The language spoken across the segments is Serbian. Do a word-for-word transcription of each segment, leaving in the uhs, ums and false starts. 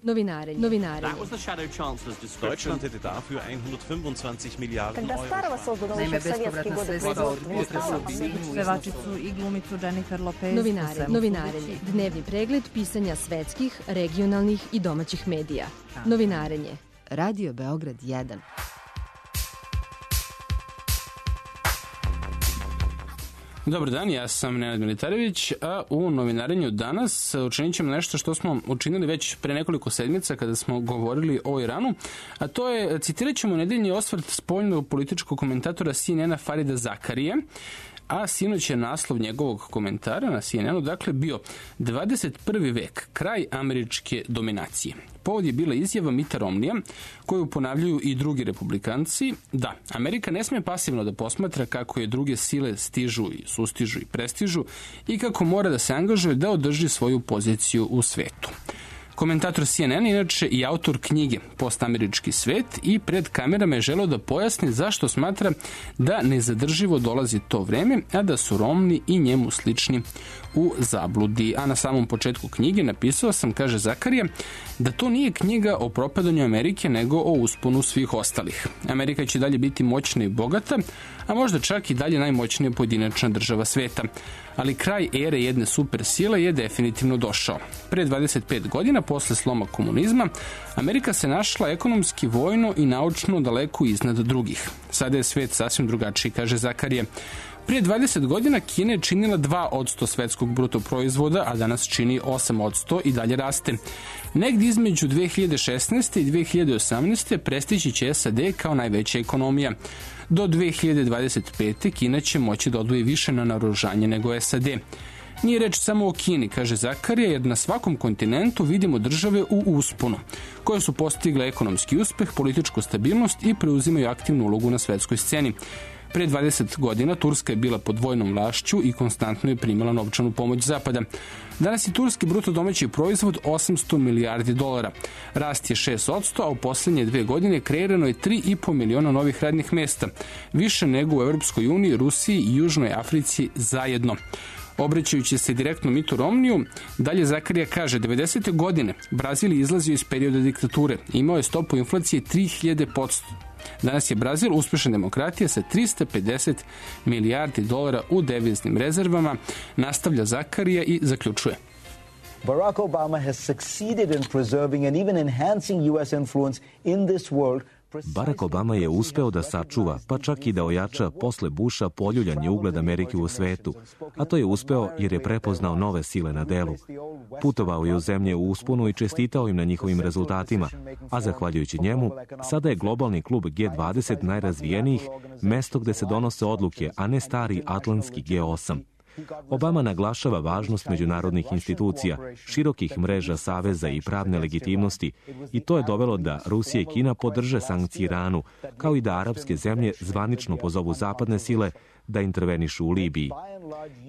Novinarenje. Novinarenje. Deutschland hätte dafür hundertfünfundzwanzig Milliarden Euro. Naime, bespovratna sredstva od pevačicu i glumicu Jennifer Lopez. Novinarenje. Novinarenje. Dnevni pregled pisanja svetskih, regionalnih i domaćih medija. Novinarenje. Radio Beograd jedan. Dobar dan, ja sam Nenad Militarević, a u novinarenju danas učinit ćemo nešto što smo učinili već pre nekoliko sedmica kada smo govorili o Iranu, a to je, citirat ćemo nedeljni osvrt spoljnog političkog komentatora C N N-a Farida Zakarije, a sinoć je naslov njegovog komentara na C N N-u, dakle, bio dvadeset prvi vek, kraj američke dominacije. Povod je bila izjava Mita Romnija, koju ponavljaju i drugi republikanci, da Amerika ne sme pasivno da posmatra kako je druge sile stižu i sustižu i prestižu i kako mora da se angažuje da održi svoju poziciju u svetu. Komentator C N N inače i autor knjige Postamerički svet i pred kamerama je želeo da pojasni zašto smatra da nezadrživo dolazi to vreme, a da su Romni i njemu slični u zabludi. A na samom početku knjige napisao sam, kaže Zakarija, da to nije knjiga o propadanju Amerike, nego o usponu svih ostalih. Amerika će dalje biti moćna i bogata, a možda čak i dalje najmoćnija pojedinačna država sveta. Ali kraj ere jedne super sile je definitivno došao. Pre dvadeset pet godina, posle sloma komunizma, Amerika se našla ekonomski, vojno i naučno daleko iznad drugih. Sada je svet sasvim drugačiji, kaže Zakarije. Prije dvadeset godina Kina je činila dva posto svetskog bruto proizvoda, a danas čini osam posto i dalje raste. Negdje između dve hiljade šesnaeste. i dve hiljade osamnaeste. prestići će S A D kao najveća ekonomija. Do dve hiljade dvadeset pete. Kina će moći da odvoji više na naoružanje nego S A D. Nije reč samo o Kini, kaže Zakarija, jer na svakom kontinentu vidimo države u usponu, koje su postigle ekonomski uspeh, političku stabilnost i preuzimaju aktivnu ulogu na svetskoj sceni. Pre dvadeset godina Turska je bila pod vojnom vlašću i konstantno je primala novčanu pomoć Zapada. Danas je turski bruto domaći proizvod osamsto milijardi dolara. Rast je šest posto, a u poslednje dve godine kreirano je tri i po miliona novih radnih mesta, više nego u Evropskoj uniji, Rusiji i Južnoj Africi zajedno. Obraćajući se direktno Mitu Romniju, dalje Zakarija kaže, devedesete godine Brazil je izlazio iz perioda diktature, imao je stopu inflacije tri hiljade posto. Danas je Brazil uspešna demokratija sa trista pedeset milijardi dolara u deviznim rezervama, nastavlja Zakarija i zaključuje. Barack Obama has succeeded in preserving and even enhancing U S influence in this world. Barack Obama je uspeo da sačuva, pa čak i da ojača posle Busha poljuljanje ugled Amerike u svetu, a to je uspeo jer je prepoznao nove sile na delu. Putovao je u zemlje u usponu i čestitao im na njihovim rezultatima, a zahvaljujući njemu, sada je globalni klub G dvadeset najrazvijenijih, mesto gde se donose odluke, a ne stari atlantski G osam. Obama naglašava važnost međunarodnih institucija, širokih mreža saveza i pravne legitimnosti i to je dovelo da Rusija i Kina podrže sankcije Iranu, kao i da arapske zemlje zvanično pozovu zapadne sile da intervenišu u Libiji.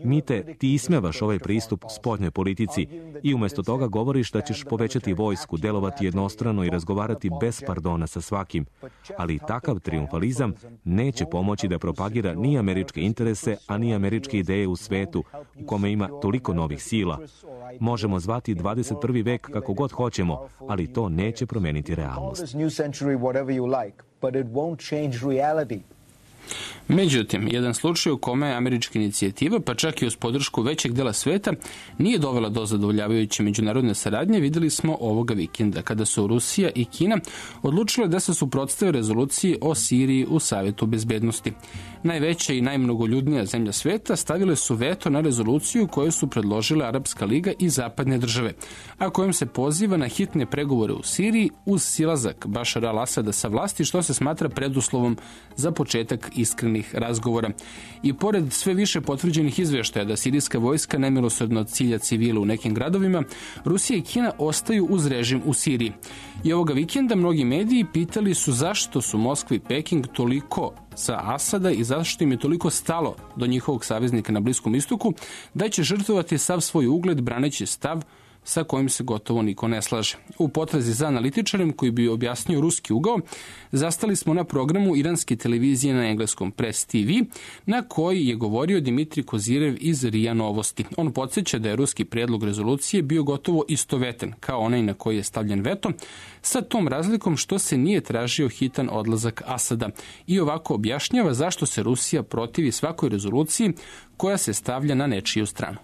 Mite, ti ismevaš ovaj pristup spoljnoj politici i umjesto toga govoriš da ćeš povećati vojsku, delovati jednostrano i razgovarati bez pardona sa svakim. Ali takav triumfalizam neće pomoći da propagira ni američke interese, a ni američke ideje u svetu u kome ima toliko novih sila. Možemo zvati dvadeset prvi vek kako god hoćemo, ali to neće promeniti realnost. Međutim, jedan slučaj u kome američka inicijativa, pa čak i uz podršku većeg dela sveta, nije dovela do zadovoljavajuće međunarodne saradnje, videli smo ovoga vikenda, kada su Rusija i Kina odlučile da se suprotstave rezoluciji o Siriji u Savetu bezbednosti. Najveća i najmnogoljudnija zemlja sveta stavile su veto na rezoluciju koju su predložile Arapska liga i zapadne države, a kojom se poziva na hitne pregovore u Siriji uz silazak Bašara al-Asada sa vlasti, što se smatra preduslovom za početak iskrenih razgovora. I pored sve više potvrđenih izveštaja da sirijska vojska nemilosrdno cilja civile u nekim gradovima, Rusija i Kina ostaju uz režim u Siriji. I ovoga vikenda mnogi mediji pitali su zašto su Moskva i Peking toliko za Asada i zašto im je toliko stalo do njihovog saveznika na Bliskom istoku, da će žrtvovati sav svoj ugled braneći stav sa kojim se gotovo niko ne slaže. U potrazi za analitičarem koji bi objasnio ruski ugao, zastali smo na programu iranske televizije na engleskom Press T V, na koji je govorio Dimitrij Kozirev iz R I A Novosti. On podsjeća da je ruski prijedlog rezolucije bio gotovo istovetan kao onaj na koji je stavljen veto, sa tom razlikom što se nije tražio hitan odlazak Asada i ovako objašnjava zašto se Rusija protivi svakoj rezoluciji koja se stavlja na nečiju stranu.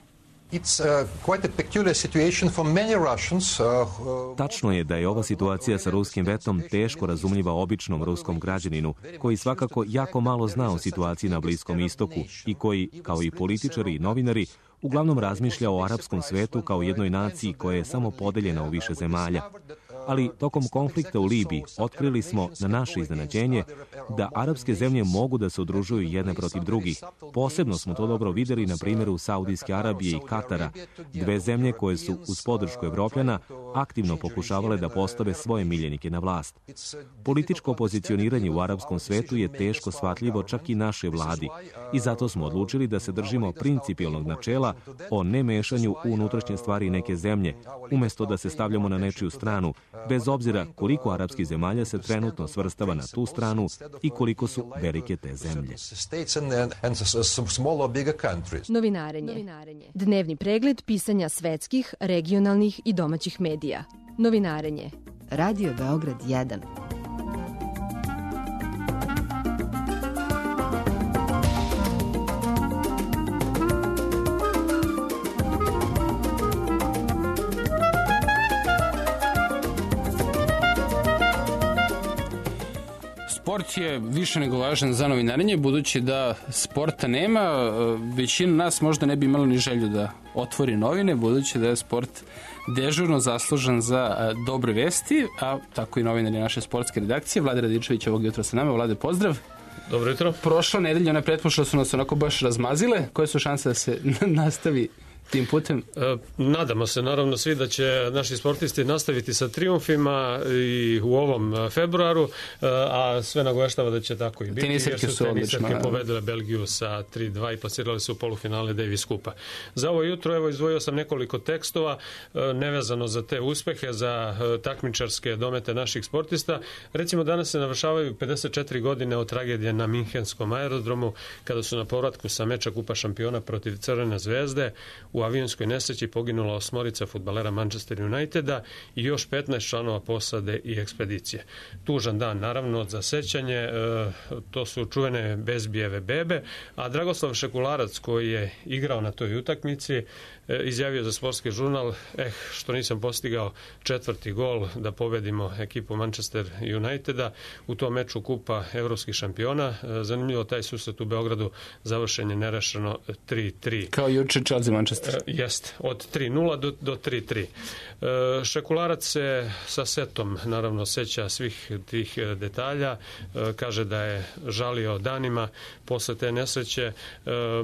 Tačno je da je ova situacija sa ruskim vetom teško razumljiva običnom ruskom građaninu, koji svakako jako malo zna o situaciji na Bliskom istoku i koji, kao i političari i novinari, uglavnom razmišlja o arapskom svetu kao jednoj naciji koja je samo podeljena u više zemalja. Ali tokom konflikta u Libiji otkrili smo, na naše iznenađenje, da arapske zemlje mogu da se udružuju jedne protiv drugih. Posebno smo to dobro vidjeli na primjeru Saudijske Arabije i Katara, dve zemlje koje su uz podršku Evropljana aktivno pokušavale da postave svoje miljenike na vlast. Političko pozicioniranje u arapskom svetu je teško shvatljivo čak i našoj vladi i zato smo odlučili da se držimo principijelnog načela o nemešanju u unutrašnje stvari neke zemlje, umjesto da se stavljamo na nečiju stranu, bez obzira koliko arapskih zemalja se trenutno svrstava na tu stranu i koliko su velike te zemlje. Novinarenje. Dnevni pregled pisanja svetskih, regionalnih i domaćih medija. Novinarenje. Radio Beograd jedan. Sport je više nego važan za novinarenje, budući da sporta nema, većina nas možda ne bi imala ni želju da otvori novine, budući da je sport dežurno zaslužan za dobre vesti, a tako i novinari naše sportske redakcije. Vlade Radičević ovog jutra sa nama. Vlade, pozdrav. Dobro jutro. Prošla nedelja, one pretpošle su nas onako baš razmazile. Koje su šanse da se nastavi tim putem? E, nadamo se naravno svi da će naši sportisti nastaviti sa trijumfima i u ovom februaru, a sve nagoveštava da će tako i biti. Teniserke su odlično. Teniserke pobedile Belgiju sa tri dva i pasirali su u polufinale Davis Kupa. Za ovo jutro evo izdvojio sam nekoliko tekstova nevezano za te uspehe, za takmičarske domete naših sportista. Recimo danas se navršavaju pedeset četiri godine od tragedije na Minhenskom aerodromu kada su na povratku sa meča Kupa šampiona protiv Crvene zvezde u avionskoj nesreći poginula osmorica fudbalera Manchester Uniteda i još petnaest članova posade i ekspedicije. Tužan dan, naravno, za sećanje, e, to su čuvene Bezbijeve bebe, a Dragoslav Šekularac, koji je igrao na toj utakmici, e, izjavio za sportski žurnal, eh, što nisam postigao četvrti gol da pobedimo ekipu Manchester Uniteda u tom meču Kupa evropskih šampiona. E, zanimljivo, taj susret u Beogradu završen je nerešeno tri tri. Kao juče Chelsea Manchester. Jest, od tri nula do, do tri tri. E, Šekularac se sa setom naravno seća svih tih detalja, e, kaže da je žalio danima posle te nesreće. E,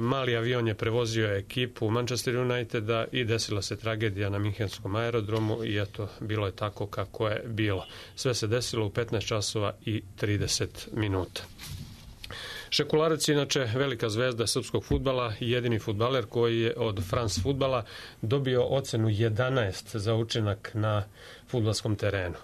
mali avion je prevozio ekipu Manchester Uniteda i desila se tragedija na Minhenskom aerodromu i eto, bilo je tako kako je bilo. Sve se desilo u petnaest časova i trideset minuta. Šekularac je inače velika zvezda srpskog fudbala i jedini fudbaler koji je od France fudbala dobio ocenu jedanaest za učinak na fudbalskom terenu.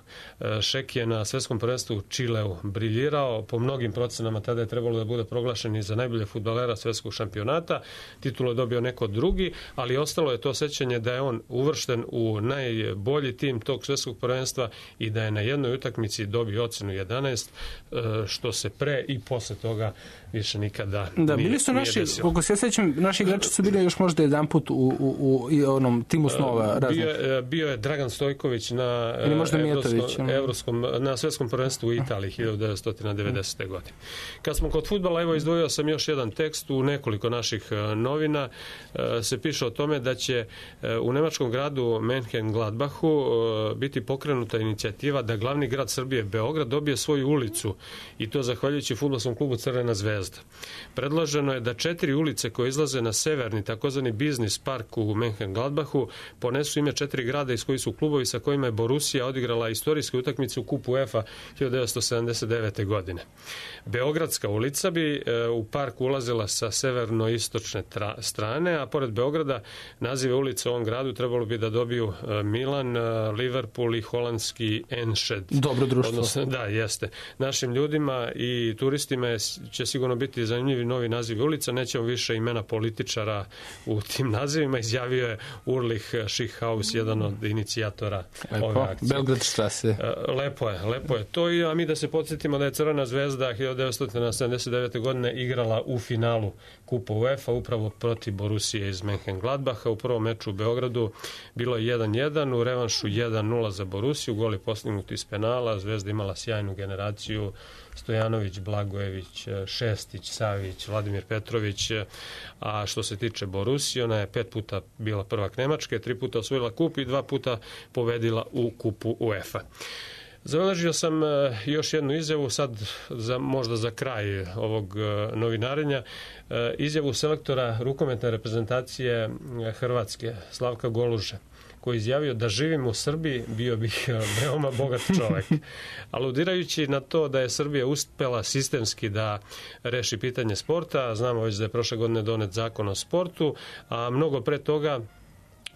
Šek je na svetskom prvenstvu u Čileu briljirao, po mnogim procenama tada je trebalo da bude proglašen i za najbolje fudbalera svetskog šampionata. Titulu je dobio neko drugi, ali ostalo je to sećanje da je on uvršten u najbolji tim tog svetskog prvenstva i da je na jednoj utakmici dobio ocenu jedanaest, što se pre i posle toga više nikada da, nije, bili su naši, desilo. Koliko se sećam, naši igrači su bili još možda jedan put u, u, u onom timu snova. Bio je, bio je Dragan Stojković na, evropskom, evropskom, na svetskom prvenstvu u Italiji hiljadu devetsto devedesete. godine. Kad smo kod fudbala, evo izdvojio sam još jedan tekst u nekoliko naših novina. Se piše o tome da će u nemačkom gradu Mönchengladbachu biti pokrenuta inicijativa da glavni grad Srbije, Beograd, dobije svoju ulicu i to zahvaljujući fudbalskom klubu Crvena zvezda. Predloženo je da četiri ulice koje izlaze na severni takozvani biznis park u Mönchengladbachu ponesu ime četiri grada iz koji su klubovi sa kojima je Borussia odigrala istorijsku utakmicu u kupu UEFA hiljadu devetsto sedamdeset devete. godine. Beogradska ulica bi u park ulazila sa severno-istočne strane, a pored Beograda nazive ulica u ovom gradu trebalo bi da dobiju Milan, Liverpool i holandski Enschede. Dobro društvo. Odnosno, da, jeste. Našim ljudima i turistima će sigurno biti zanimljivi novi nazivi ulica. Nećemo više imena političara u tim nazivima. Izjavio je Ulrich Schickhaus, jedan od inicijatora Lepo. ove akcije. Belgradstrasse. Lepo je, lepo je to. I, a mi da se podsjetimo da je Crvena zvezda hiljadu devetsto sedamdeset devete. godine igrala u finalu kupa UEFA upravo protiv Borussije iz Mönchengladbacha. U prvom meču u Beogradu bilo je jedan jedan, u revanšu jedan nula za Borussiju, gol je postignut iz penala, Zvezda imala sjajnu generaciju, Stojanović, Blagojević, Šestić, Savić, Vladimir Petrović, a što se tiče Borussije, ona je pet puta bila prvak Nemačke, tri puta osvojila kup i dva puta pobedila u kupu UEFA. Zabeležio sam još jednu izjavu, sad za, možda za kraj ovog novinarenja, izjavu selektora rukometne reprezentacije Hrvatske, Slavka Goluže, koji je izjavio da živim u Srbiji bio bih veoma bogat čovek. Aludirajući na to da je Srbija uspela sistemski da reši pitanje sporta, znamo već da je prošle godine donet zakon o sportu, a mnogo pre toga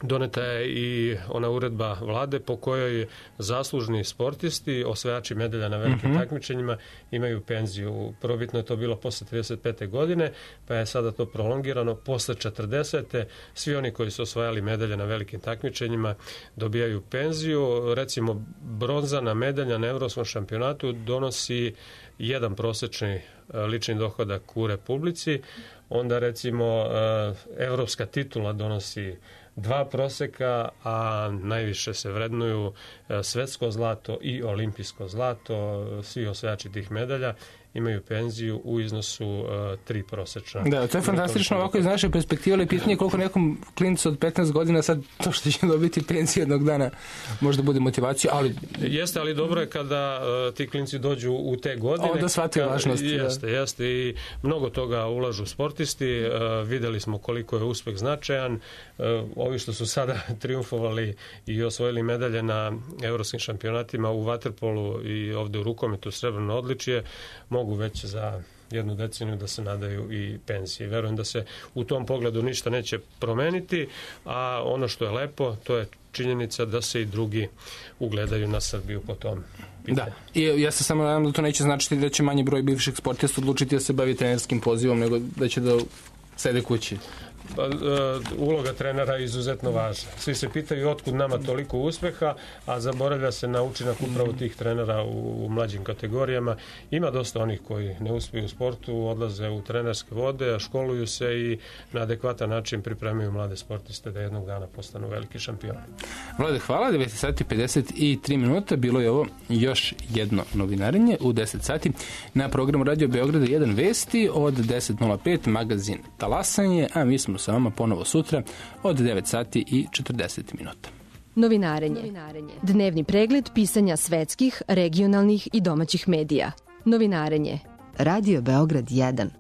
doneta je i ona uredba vlade po kojoj zaslužni sportisti, osvajači medalja na velikim mm-hmm. takmičenjima, imaju penziju. Prvobitno je to bilo posle trideset pete. godine, pa je sada to prolongirano. Posle četrdesete. svi oni koji su osvajali medalje na velikim takmičenjima dobijaju penziju. Recimo, bronzana medalja na evropskom šampionatu donosi jedan prosečni lični dohodak u Republici. Onda, recimo, evropska titula donosi dva proseka, a najviše se vrednuju svetsko zlato i olimpijsko zlato. Svi osvajači tih medalja imaju penziju u iznosu uh, tri prosečna. Da, to je fantastično ovako iz naše perspektive, ali pitanje koliko nekom klincu od petnaest godina sad to što će dobiti penziju jednog dana možda bude motivacija, ali... Jeste, ali dobro je kada uh, ti klinci dođu u te godine. Onda shvataju važnost. Jeste, da. jeste i mnogo toga ulažu sportisti. Uh, videli smo koliko je uspeh značajan. Uh, ovi što su sada triumfovali i osvojili medalje na evropskim šampionatima u vaterpolu i ovde u rukometu srebrno odličje, mogu već za jednu deceniju da se nadaju i penzije. Verujem da se u tom pogledu ništa neće promeniti, a ono što je lepo, to je činjenica da se i drugi ugledaju na Srbiju po tom pitanju. Da, i ja se samo nadam da to neće značiti da će manji broj bivših sportista odlučiti da se bavi trenerskim pozivom, nego da će da sede kući. Pa, uloga trenera je izuzetno važna. Svi se pitaju otkud nama toliko uspeha, a zaboravlja se na učinak upravo tih trenera u, u mlađim kategorijama. Ima dosta onih koji ne uspiju u sportu, odlaze u trenerske vode, školuju se i na adekvatan način pripremaju mlade sportiste da jednog dana postanu veliki šampioni. Vlade, hvala. devet sati pedeset tri minuta. Bilo je ovo još jedno novinarenje u deset sati na programu Radio Beograda jedan vesti od deset nula pet magazin Talasanje, a mi smo sa vama ponovo sutra od devet sati i četrdeset minuta. Novinarenje. Dnevni pregled pisanja svetskih, regionalnih i domaćih medija. Novinarenje. Radio Beograd jedan.